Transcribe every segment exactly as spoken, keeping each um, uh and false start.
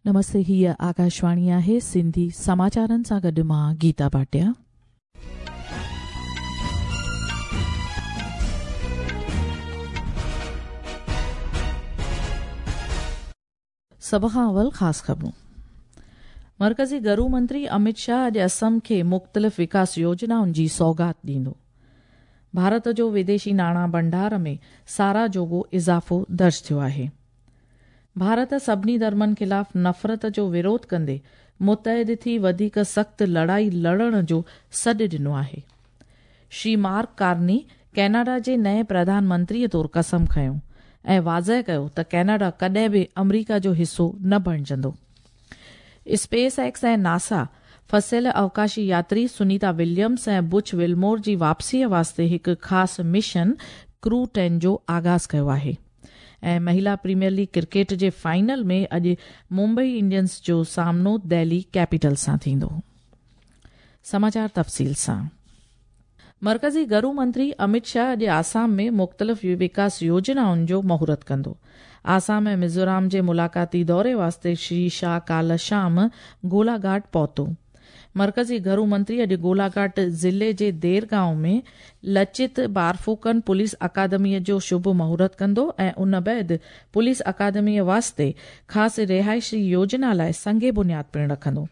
नमस्ते, हीअ आकाशवाणी आहे। सिंधी समाचारनि सां गॾु मां गीता भाटिया। सभ खां अवल ख़ासि ख़बरूं। मरकज़ी घरू मंत्री अमित शाह अॼु असम खे मुख़्तलिफ़ विकास योजनाउनि जी सौगात ॾींदो। भारत जो विदेशी नाणा भंडार में साराह जोगो इज़ाफ़ो दर्ज थियो आहे। भारत सभिनी धर्मनि ख़िलाफ़ नफ़रत जो विरोध कंदे मुतहद थी वधीक सख़्तु लड़ाई लड़ण जो सॾु ॾिनो आहे। श्री मार्क कार्नी कैनेडा जे नए प्रधानमंत्रीअ तौरु कसम खयो ऐं वाज़ेह कयो त कैनेडा कॾहिं बि अमरीका जो हिसो न बणिजंदो। स्पेस एक्स ऐं नासा फसियल अवकाशी यात्री सुनीता विलियम्स ऐं बुच विल्मोर जी वापसीअ वास्ते हिकु ख़ासि मिशन क्रू टेन जो आगाज़ कयो आहे। ऐं महिला प्रीमियर लीग क्रिकेट जे फाइनल में अॼु मुंबई इंडियंस जो सामनो दिल्ली कैपिटल सां थींदो। समाचार तफ़सील सां। मरकज़ी घरू मंत्री अमित शाह अॼु आसाम में मुख़्तलिफ़ विकास योजनाउनि जो मुहूर्त कंदो। आसाम ऐं मिज़ोराम जे मुलाक़ाती दौरे वास्ते श्री शाह काल्ह शाम गोलाघाट पहुतो। मरकज़ी घरू मंत्री अॼु गोलाघाट ज़िले जे देरगांव में लचित बारफूकन पुलिस अकादमीअ जो शुभ मुहूर्त कंदो ऐं उन बाद पुलिस अकादमीअ वास्ते ख़ासि रिहाइशी योजना लाइ संगे बुनियाद पिणु रखंदो।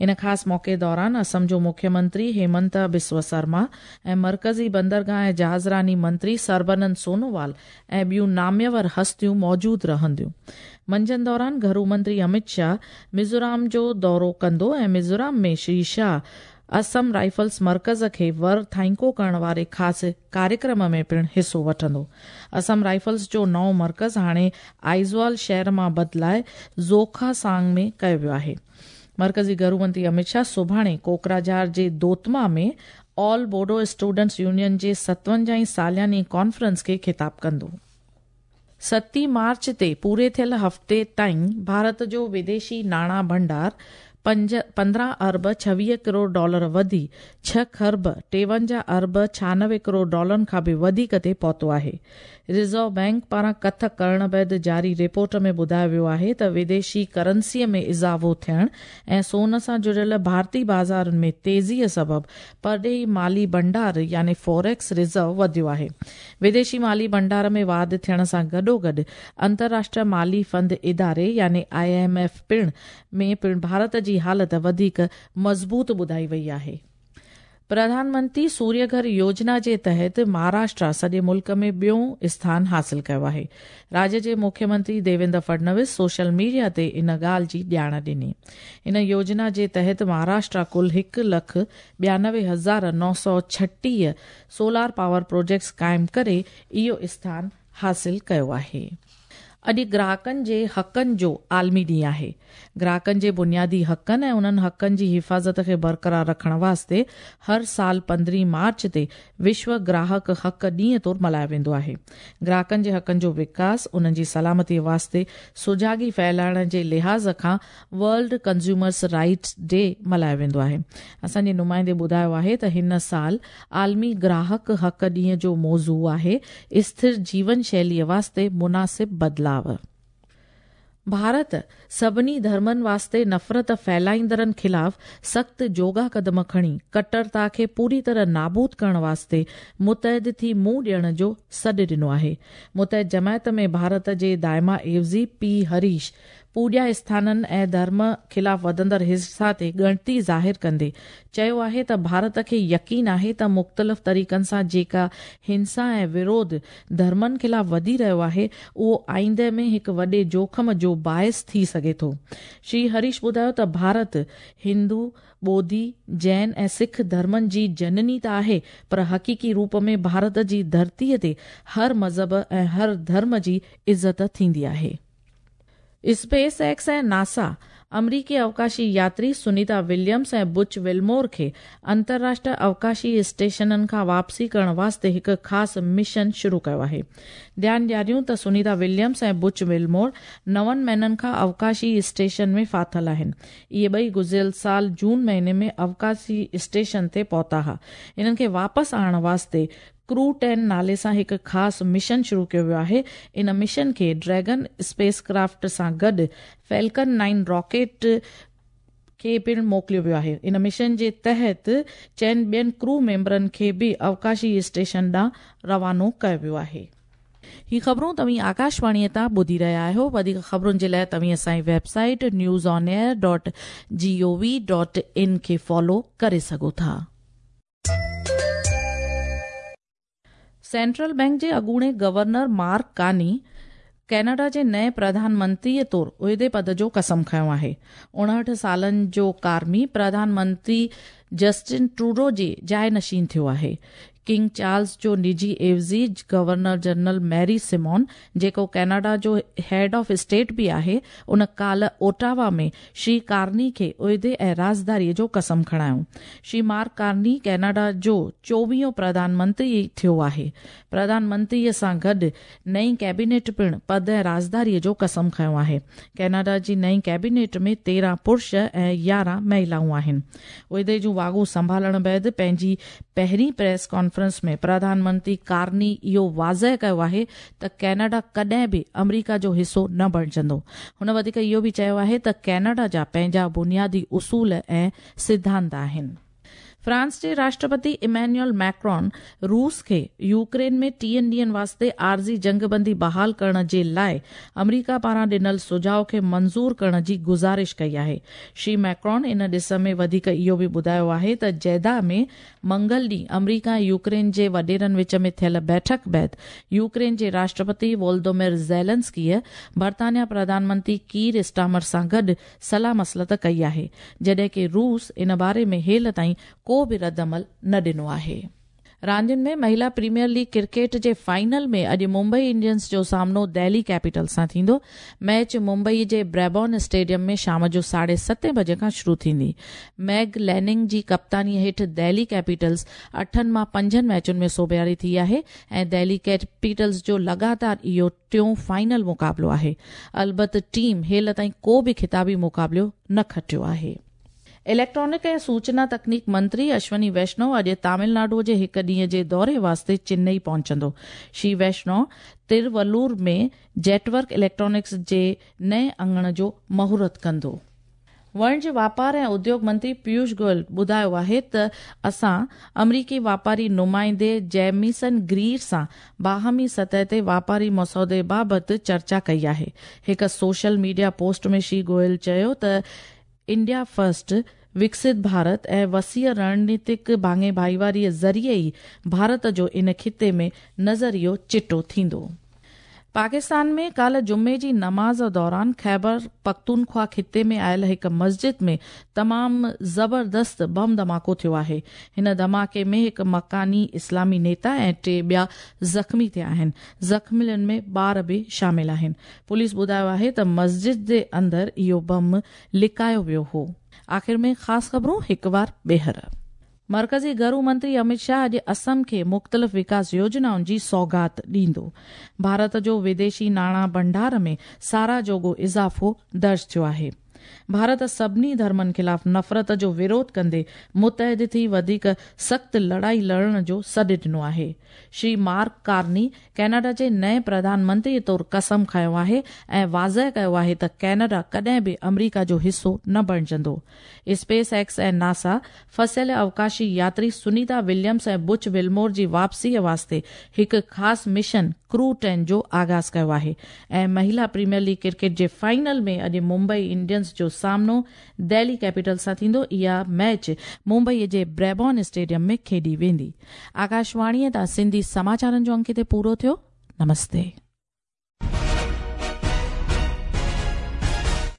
इन ख़ासि मौक़े दौरान असम जो मुख्यमंत्री हेमंत बिस्व शर्मा ऐं मरकज़ी बंदरगाह ऐं जहाज़रानी मंत्री सर्बानंद सोनोवाल ऐं ॿियूं नाम्यवर हस्तियूं मौजूदु रहंदियूं। मंझंदि दौरान घरू मंत्री अमित शाह मिज़ोराम जो दौरो कंदो ऐं मिज़ोराम में श्री शाह असम राइफल्स मर्कज़ खे वर थाइंको करण वारे ख़ासि कार्यक्रम में पिणु हिसो वठंदो। असम राइफल्स जो नओं मर्कज़ हाणे आइज़वाल शहर मां बदिलाए ज़ोखासांग में कयो वियो आहे। मरकज़ी घरू मंत्री अमित शाह सुभाणे कोकराझार जे दोतमा में ऑल बोडो स्टूडेंट्स यूनियन जे सतवंजाहीं सालियानी कॉन्फ्रेंस खे ख़िताब कंदो। सती मार्च ते पूरे थियल हफ़्ते ताईं भारत जो विदेशी नाणा भंडार पंज पंद्रहं अरब छवीह करोड़ डॉलर वधी छह खरब टेवंजाह अरब छानवे करोड़ डॉलरनि खां बि वधीक ते पहुतो आहे। रिज़र्व बैंक पारां कथ करण बाद जारी रिपोर्ट में ॿुधायो वियो आहे त विदेशी करेंसीअ में इज़ाफ़ो थियण ऐं सोन सां जुड़ियल भारतीय बाज़ारुनि में तेज़ीअ सबबु परॾेही माली भंडार यानी फॉरेक्स रिज़र्व वधियो आहे। विदेशी माली भंडार में वाध थियण सां गॾोगॾु अंतर्राष्ट्रीय माली फंड इदारे यानी I am F पिणु में पिणु भारत जी हालत वधीक मज़बूत ॿुधाई वई आहे। प्रधानमंत्री सूर्यघर योजना जे तहत महाराष्ट्र सॼे मुल्क में ॿियो स्थान हासिल कयो आहे। राज्य जे मुख्यमंत्री देवेंद्र फडणवीस सोशल मीडिया ते इन ॻाल्हि जी ॼाण ॾिनी। इन योजना जे तहत महाराष्ट्र कुल हिकु लख ॿियानवे हज़ार नौ सौ छटीह सोलार पावर प्रोजेक्ट्स क़ाइमु करे इहो स्थान हासिल कयो आहे। अॼु ग्राहकनि जे हक़नि जो आलमी ॾींहुं आहे। ग्राहकनि जे बुनियादी हक़नि ऐं उन्हनि हक़नि जी हिफ़ाज़त खे बरक़रार रखण वास्ते हर साल पंद्रहीं मार्च ते विश्व ग्राहक हक़ ॾींहं तौरु मल्हायो वेंदो आहे। ग्राहकनि जे हक़नि जो विकास, उन्हनि जी सलामतीअ वास्ते सुजागी फैलाइण जे लिहाज़ खां वर्ल्ड कंज्यूमर्स राइट्स डे मल्हायो वेंदो आहे। असांजे नुमाइंदे ॿुधायो आहे त हिन साल आलमी ग्राहक हक़ ॾींहं जो मौज़ू आहे स्थिर जीवन शैलीअ वास्ते मुनासिब बदिलाव। भारत सभिनी धर्मनि वास्ते नफ़रत फैलाईंदड़नि ख़िलाफ़ सख़्तु जोगा कदम खणी कट्टरता खे पूरी तरह नाबूद करण वास्ते मुतहद थी मुंहुं ॾियण जो सॾु ॾिनो आहे। मुतहद जमायत में भारत जे दायमा एवज़ी पी हरीश पूॼा स्थाननि ऐं धर्म ख़िलाफ़ वधंदड़ हिंसा ते ॻणती ज़ाहिर कंदे चयो आहे त भारत खे यकीन आहे त मुख़्तलिफ़ तरीक़नि सां जेका हिंसा ऐं विरोध धर्मनि ख़िलाफ़ वधी रहियो आहे उहो आईंदे में हिकु वॾे जोखम जो बाइस थी सघे थो। श्री हरीश ॿुधायो त भारत हिंदू, बौद्धी, जैन ऐं सिख धर्मनि जी जननी त आहे, पर हक़ीक़ी रूप में भारत जी धरतीअ ते हर मज़हब ऐं हर धर्म जी इज़त थींदी आहे। स्पेस एक्स ऐं नासा अमरीकी अवकाशी यात्री सुनीता विलियम्स ऐं बुच विल्मोर खे अंतर्राष्ट्रीय अवकाशी स्टेशननि खां वापसी करण वास्ते हिकु ख़ासि मिशन शुरू कयो आहे। ध्यानु ॾियारियूं त सुनीता विलियम्स ऐं बुच विल्मोर नवनि महीननि खां अवकाशी स्टेशन में फाथल आहिनि। इहे ॿई गुज़िरियल साल जून महीने में अवकाशी स्टेशन ते पहुता हुआ। इन्हनि खे वापसि आणण वास्ते ڪرو ٽين नाले सां हिकु ख़ासि मिशन शुरू कयो वियो आहे। इन मिशन खे ड्रैगन स्पेस क्राफ्ट सां गॾु फैल्कन नाइन रॉकेट खे पिणु मोकिलियो वियो आहे। इन मिशन जे तहत चइनि ॿियनि क्रू मेंबरनि खे बि अवकाशी स्टेशन ॾांहुं रवानो कयो वियो आहे। ही ख़बरूं तव्हीं आकाशवाणीअ तां ॿुधी रहिया आहियो। वधीक ख़बरुनि जे लाइ तव्हीं असांजी website news on air dot G O V dot in खे फॉलो करे सघो था। सेंट्रल बैंक जे अॻूणे गवर्नर मार्क कानी कनाडा जे नए प्रधानमंत्रीअ तौर उहिदे पद जो कसम खयो आहे। उणहठि सालनि जो कार्मी प्रधानमंत्री जस्टिन ट्रूडो जे जाइ नशीन थियो आहे। किंग चार्ल्स जो निजी एवज़ी गवर्नर जनरल मैरी सिमोन, जेको कनाडा जो हेड ऑफ स्टेट बि आहे, उन काल ओटावा में श्री कार्नी खे उहिदे ऐं राज़दारीअ जो कसम खणायो। श्री मार्क कार्नी कनाडा जो चोवीहों प्रधानमंत्री थियो आहे। प्रधानमंत्रीअ सां गॾु नई कैबिनेट पिणु पद ऐं राज़दारीअ जो कसम खयो आहे। कनाडा जी नई कैबिनेट में तेरहं पुरुष ऐं यारहं महिलाऊं आहिनि। उहिदे जूं वाॻूं संभालण बाद पंहिंजी पहिरीं प्रेस कॉन्फ्रेंस में प्रधानमंत्री कार्नी इहो वाज़ेह कयो आहे त कनाडा कॾहिं बि अमरीका जो हिसो न बणिजंदो। हुन वधीक इहो बि चयो आहे त कनाडा जा पंहिंजा बुनियादी उसूल ऐं सिद्धांत आहिनि। फ्रांस जे राष्ट्रपति इमैनुअल मैक्रॉन रूस खे यूक्रेन में टीहनि ॾींहनि वास्ते आर्ज़ी जंगबंदी बहाल करण जे लाइ अमरीका पारां ॾिनल सुझाव खे मंज़ूर करण जी गुज़ारिश कई आहे। श्री मैक्रॉन इन ॾिस में वधीक इहो बि ॿुधायो आहे त जेदा में मंगल ॾींहुं अमरीका ऐं यूक्रेन जे वॾेरनि विच में थियल बैठक बाद यूक्रेन जे राष्ट्रपति वोल्दोमिर ज़ेलेंस्कीअ बर्तानिया प्रधानमंत्री कीर स्टामर सां गॾु सलाह मसलत कई आहे, जॾहिं की रूस इन बारे में हेल ताईं को बि रद्द अमल न ॾिनो आहे। रांदियुनि में महिला प्रीमियर लीग क्रिकेट जे फाइनल में अॼु मुंबई इंडियंस जो सामनो दिल्ली कैपिटल सां थींदो। मैच मुंबई जे ब्रेबॉर्न स्टेडियम में शाम जो साढे सतें बजे खां शुरू थींदी। मैग लैनिंग जी कप्तानीअ हेठि दिल्ली कैपिटल्स अठनि मां पंजनि मैचुनि में सोबियारी थी आहे ऐं दिल्ली कैपिटल्स जो लगातार इहो टियों फाइनल मुक़ाबिलो आहे। अलबत टीम हेल ताईं को बि खिताबी मुक़ाबिलो न खटियो आहे। इलेक्ट्रॉनिक ऐं सूचना तकनीक मंत्री अश्वनी वैष्णव अॼु तमिलनाडु जे हिकु ॾींहं जे दौरे वास्ते चेन्नई पहुचंदो। श्री वैष्णव तिरुवल्लूर में जेटवर्क इलेक्ट्रॉनिक्स जे नए अंगण जो मुहूर्त कंदो। वणिज वापार ऐं उद्योग मंत्री पीयूष गोयल ॿुधायो आहे त असां अमरीकी वापारी नुमाइंदे जेमिसन ग्रीर सां बाहमी सतह ते वापारी मसौदे बाबति चर्चा कई आहे। हिकु सोशल मीडिया पोस्ट में श्री गोयल चयो त इंडिया फर्स्ट, विकसित भारत ऐं वसीअ रणनीतिक भाङे भाईवारीअ ज़रिए ई भारत जो इन खिते में नज़रियो चिटो थींदो। पाकिस्तान में काल जुमे जी नमाज़ दौरान ख़ैबर पख्तूनख्वा खिते में आयल हिकु मस्जिद में तमामु ज़बरदस्त बम धमाको थियो आहे। हिन धमाके में हिकु मकानी इस्लामी नेता ऐं टे ॿिया ज़ख़्मी थिया आहिनि। ज़ख़्मियुनि में ॿार बि शामिल आहिनि। पुलिस ॿुधायो आहे त मस्जिद जे अंदरि इहो बम लिकायो वियो हो। आख़िर में ख़ासि ख़बरूं हिकु बार ॿीहर। मरकज़ी घरू मंत्री अमित शाह अॼु असम खे मुख़्तलिफ़ विकास योजनाउनि जी सौगात ॾींदो। भारत जो विदेशी नाणा भंडार में साराह जोॻो इज़ाफ़ो दर्ज थियो आहे। भारत सभिनी धर्मनि ख़िलाफ़ नफ़रत जो विरोध कंदे मुतहद थी वधीक सख़्तु लड़ाई लड़ण जो सॾु ॾिनो आहे। श्री मार्क कार्नी कनाडा जे नए प्रधानमंत्री तौर कसम खयो आहे ऐं वाज़ेह कयो आहे त कनाडा कॾहिं बि अमरीका जो हिसो न बणिजंदो। स्पेस एक्स ऐं नासा फसियल अवकाशी यात्री सुनीता विलियम्स ऐं बुच विल्मोर जी वापसीअ वास्ते हिकु ख़ासि मिशन क्रू टेन जो आगाज़ कयो आहे। ऐं महिला प्रीमियर लीग क्रिकेट जे फाइनल में अॼु मुंबई इंडियंस जो सामनो दिल्ली कैपिटल सां थींदो। इहा मैच मुंबई जे ब्रेबॉर्न स्टेडियम में खेॾी वेंदी। आकाशवाणीअ तां सिंधी समाचारनि जो अंक हिते पूरो थियो। नमस्ते।